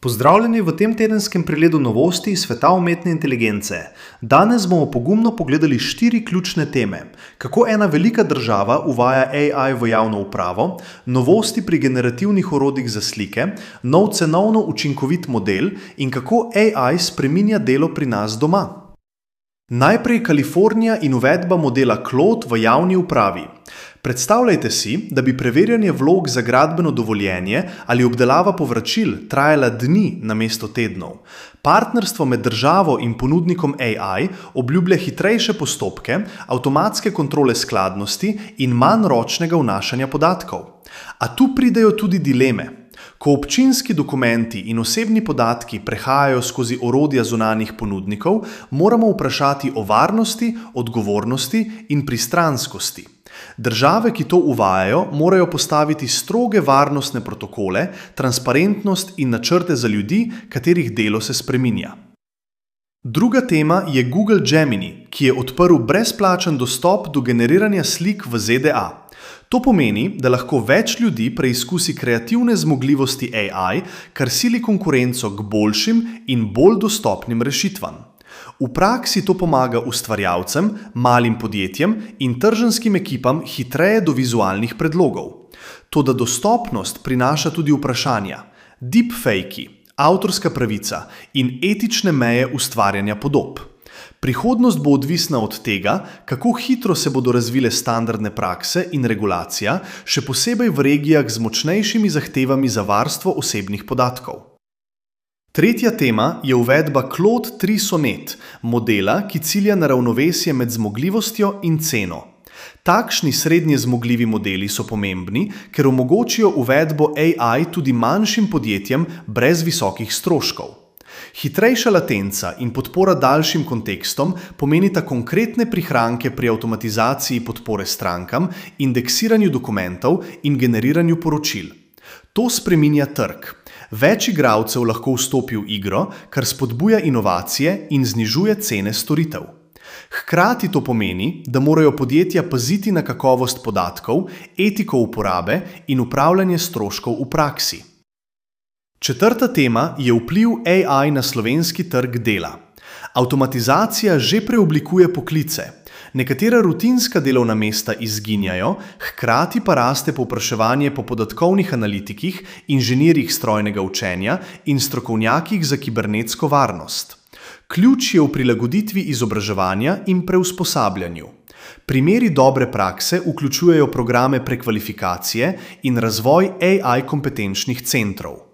Pozdravljeni v tem tedenskem pregledu novosti iz sveta umetne inteligence. Danes bomo pogumno pogledali 4 ključne teme. Kako ena velika država uvaja AI v javno upravo, novosti pri generativnih orodjih za slike, nov cenovno učinkovit model in kako AI spreminja delo pri nas doma. Najprej Kalifornija in uvedba modela Claude v javni upravi. Predstavljajte si, da bi preverjanje vlog za gradbeno dovoljenje ali obdelava povračil trajala dni namesto tednov. Partnerstvo med državo in ponudnikom AI obljublja hitrejše postopke, avtomatske kontrole skladnosti in manj ročnega vnašanja podatkov. A tu pridejo tudi dileme. Ko občinski dokumenti in osebni podatki prehajajo skozi orodja zunanjih ponudnikov, moramo vprašati o varnosti, odgovornosti in pristranskosti. Države, ki to uvajajo, morajo postaviti stroge varnostne protokole, transparentnost in načrte za ljudi, katerih delo se spreminja. Druga tema je Google Gemini, ki je odprl brezplačen dostop do generiranja slik v ZDA. To pomeni, da lahko več ljudi preizkusi kreativne zmogljivosti AI, kar sili konkurenco k boljšim in bolj dostopnim rešitvam. V praksi to pomaga ustvarjalcem, malim podjetjem in tržanskim ekipam hitreje do vizualnih predlogov. Toda dostopnost prinaša tudi vprašanja: deepfakei, avtorska pravica in etične meje ustvarjanja podob. Prihodnost bo odvisna od tega, kako hitro se bodo razvile standardne prakse in regulacija, še posebej v regijah z močnejšimi zahtevami za varstvo osebnih podatkov. Tretja tema je uvedba Claude 3 Sonnet, modela, ki cilja na ravnovesje med zmogljivostjo in ceno. Takšni srednje zmogljivi modeli so pomembni, ker omogočijo uvedbo AI tudi manjšim podjetjem brez visokih stroškov. Hitrejša latenca in podpora daljšim kontekstom pomenita konkretne prihranke pri avtomatizaciji podpore strankam, indeksiranju dokumentov in generiranju poročil. To spreminja trg. Več igralcev lahko vstopi v igro, kar spodbuja inovacije in znižuje cene storitev. Hkrati to pomeni, da morajo podjetja paziti na kakovost podatkov, etiko uporabe in upravljanje stroškov v praksi. Četrta tema je vpliv AI na slovenski trg dela. Avtomatizacija že preoblikuje poklice. Nekatera rutinska delovna mesta izginjajo, hkrati pa raste povpraševanje po podatkovnih analitikih, inženirjih strojnega učenja in strokovnjakih za kibernetsko varnost. Ključ je v prilagoditvi izobraževanja in preusposabljanju. Primeri dobre prakse vključujejo programe prekvalifikacije in razvoj AI kompetenčnih centrov.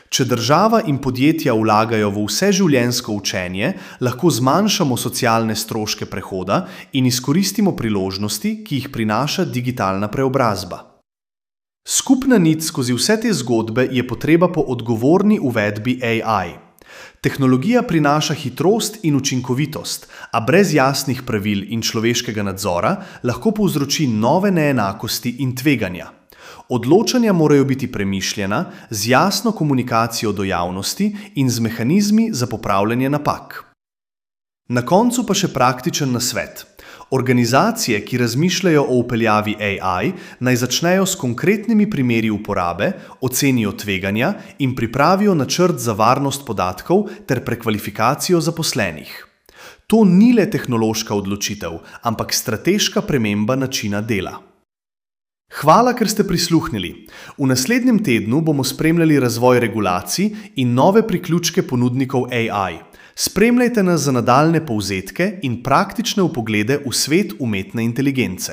Če država in podjetja vlagajo v vseživljenjsko učenje, lahko zmanjšamo socialne stroške prehoda in izkoristimo priložnosti, ki jih prinaša digitalna preobrazba. Skupna nit skozi vse te zgodbe je potreba po odgovorni uvedbi AI. Tehnologija prinaša hitrost in učinkovitost, a brez jasnih pravil in človeškega nadzora lahko povzroči nove neenakosti in tveganja. Odločanja morajo biti premišljena, z jasno komunikacijo do javnosti in z mehanizmi za popravljanje napak. Na koncu pa še praktičen nasvet. Organizacije, ki razmišljajo o vpeljavi AI, naj začnejo s konkretnimi primeri uporabe, ocenijo tveganja in pripravijo načrt za varnost podatkov ter prekvalifikacijo zaposlenih. To ni le tehnološka odločitev, ampak strateška sprememba načina dela. Hvala, ker ste prisluhnili. V naslednjem tednu bomo spremljali razvoj regulacij in nove priključke ponudnikov AI. Spremljajte nas za nadaljnje povzetke in praktične vpoglede v svet umetne inteligence.